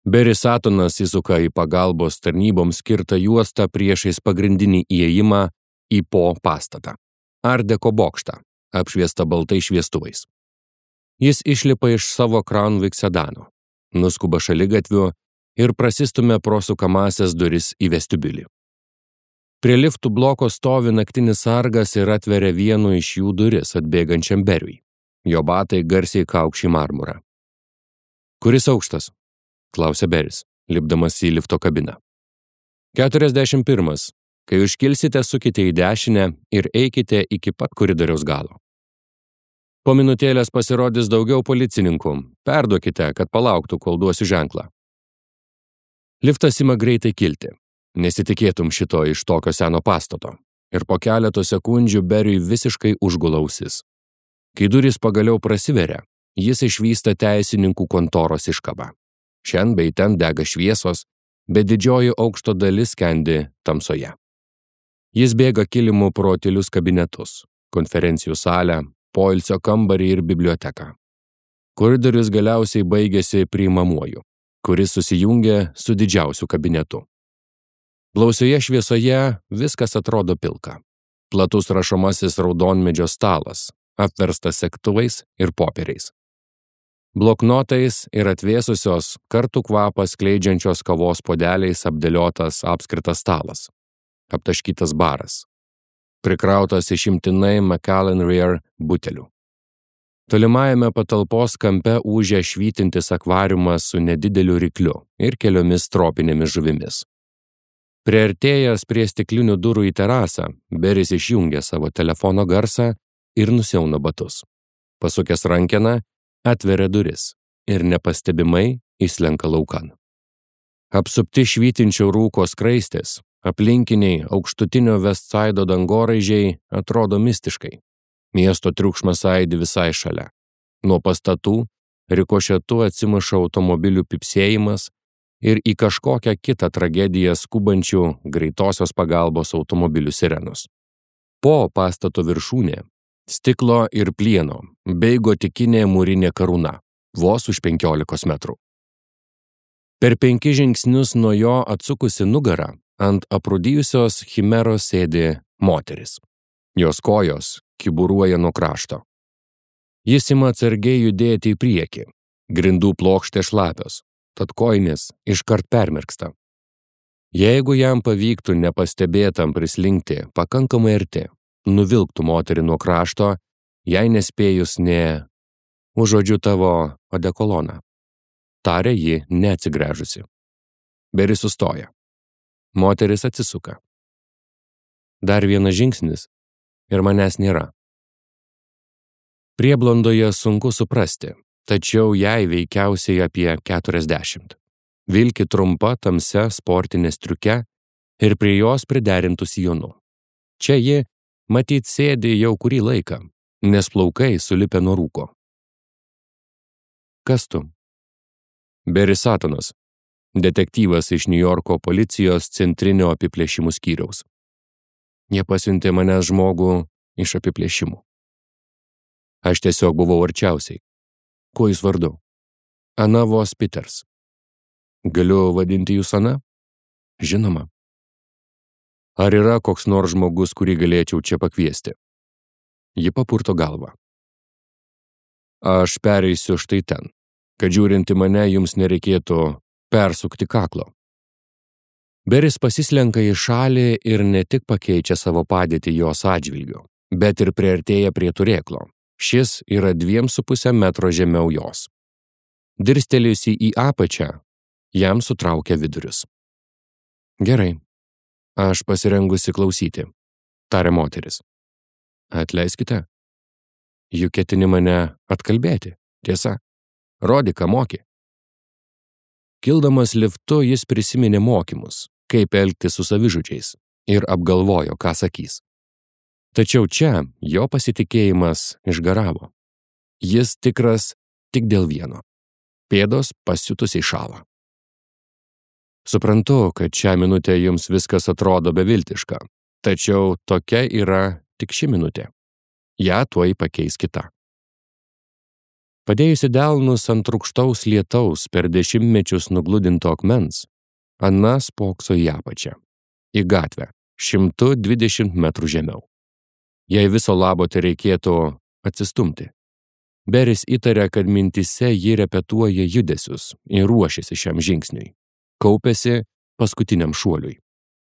Beris Satonas įsuka į pagalbos tarnyboms skirtą juostą priešais pagrindinį įėjimą į Po pastatą. Art Deco bokštą, apšviestą baltais šviestuvais. Jis išlipa iš savo Crown Vic sedano, nuskuba šaligatviu ir prasistumia pro sukamąsias duris į vestibiulį. Prie liftų bloko stovi naktinis sargas ir atveria vienu iš jų duris atbėgančiam Beriui. Jo batai garsiai kaukši marmurą. Kuris aukštas? Klausė Beris, lipdamas į lifto kabiną. 41. Kai užkilsite, sukite į dešinę ir eikite iki pat koridoriaus galo. Po minutėlės pasirodys daugiau policininkų. Perduokite, kad palauktų, kol duosiu ženklą. Liftas ima greitai kilti. Nesitikėtum šito iš tokio seno pastato. Ir po keleto sekundžių Beriui visiškai užgula ausis. Kai durys pagaliau prasiveria, jis išvysta teisininkų kontoros iškabą. Šen bei ten dega šviesos, bet didžioji aukšto dalis skendi tamsoje. Jis bėga kilimu pro tylius kabinetus, konferencijų salę, poilsio kambarį ir biblioteką. Koridorius galiausiai baigėsi priimamuoju, kuris susijungia su didžiausiu kabinetu. Blausioje šviesoje viskas atrodo pilka. Platus rašomasis raudonmedžio stalas, apverstas segtuvais ir popieriais. Bloknotais ir atvėsusios kartų kvapą skleidžiančios kavos puodeliais apdėliotas apskritas stalas. Aptaškytas baras. Prikrautas išimtinai Macallan Rare butelių. Tolimajame patalpos kampe ūžia švytintis akvariumas su nedideliu rykliu ir keliomis tropinėmis žuvimis. Priartėjęs prie stiklinių durų į terasą, Beris išjungia savo telefono garsą ir nusiauna batus. Pasukęs rankeną, atveria duris ir nepastebimai įslenka laukan. Apsupti švytinčio rūko skraistės, aplinkiniai aukštutinio Vestsaido dangoraižiai atrodo mistiškai. Miesto triukšmas aidi visai šalia. Nuo pastatų rikošetu atsimuša automobilių pypsėjimas ir į kažkokią kitą tragediją skubančių greitosios pagalbos automobilių sirenos. Po pastato viršūnė stiklo ir plieno bei gotikinė mūrinė karūna, vos už 15 metrų. Per 5 žingsnius nuo jo atsukusi nugarą ant aprūdijusios chimeros sėdi moteris. Jos kojos kiburuoja nuo krašto. Jis ima atsargiai judėti į priekį. Grindų plokštė šlapios, tad kojinės iškart permirksta. Jeigu jam pavyktų nepastebėtam prislinkti pakankamai arti, nuvilktų moterį nuo krašto, jei nespėjus nė užuodžiu tavo odekoloną. Tarė ji neatsigręžusi. Beris sustoja. Moteris atsisuka. Dar vienas žingsnis ir manęs nėra. Prieblondoje sunku suprasti, tačiau jai veikiausiai apie 40. Vilki trumpa tamsia sportinė striuke ir prie jos priderintų sijonu. Čia ji matyt sėdi jau kurį laiką, nes plaukai sulipę nuo rūko. Kas tu? Beris Satonas, detektyvas iš Niujorko policijos centrinio apiplėšimų skyriaus. Jie pasiuntė manęs žmogų iš apiplėšimų. Aš tiesiog buvau arčiausiai. Kuo jūs vardu? Ana Vos Peters. Galiu vadinti jūs Ana? Žinoma. Ar yra koks nors žmogus, kurį galėčiau čia pakviesti? Ji papurto galvą. Aš pereisiu štai ten, kad žiūrinti mane jums nereikėtų persukti kaklo. Beris pasislenka į šalį ir ne tik pakeičia savo padėtį jos atžvilgiu, bet ir priartėja prie turėklo. Šis yra 2,5 metro žemiau jos. Dirstelėjusi į apačią, jam sutraukia vidurius. Gerai, aš pasirengusi klausyti, tarė moteris. Atleiskite. Juk ketini mane atkalbėti, tiesa. Rodyk, ką moki. Kildamas liftu jis prisiminė mokymus, kaip elgtis su savižudžiais ir apgalvojo, ką sakys. Tačiau čia jo pasitikėjimas išgaravo. Jis tikras tik dėl vieno. Pėdos pasiutusiai šąla. Suprantu, kad šią minutę jums viskas atrodo beviltiška, tačiau tokia yra tik ši minutė. Ja tuoj pakeis kita. Padėjusi delnus ant rūgštaus lietaus per dešimtmečius nugludinto akmens, Ana spokso į apačią, į gatvę, 120 metrų žemiau. Jei viso labo tereikėtų atsistumti. Beris įtarė, kad mintise ji repetuoja judesius ir ruošiasi šiam žingsniui. Kaupėsi paskutiniam šuoliui.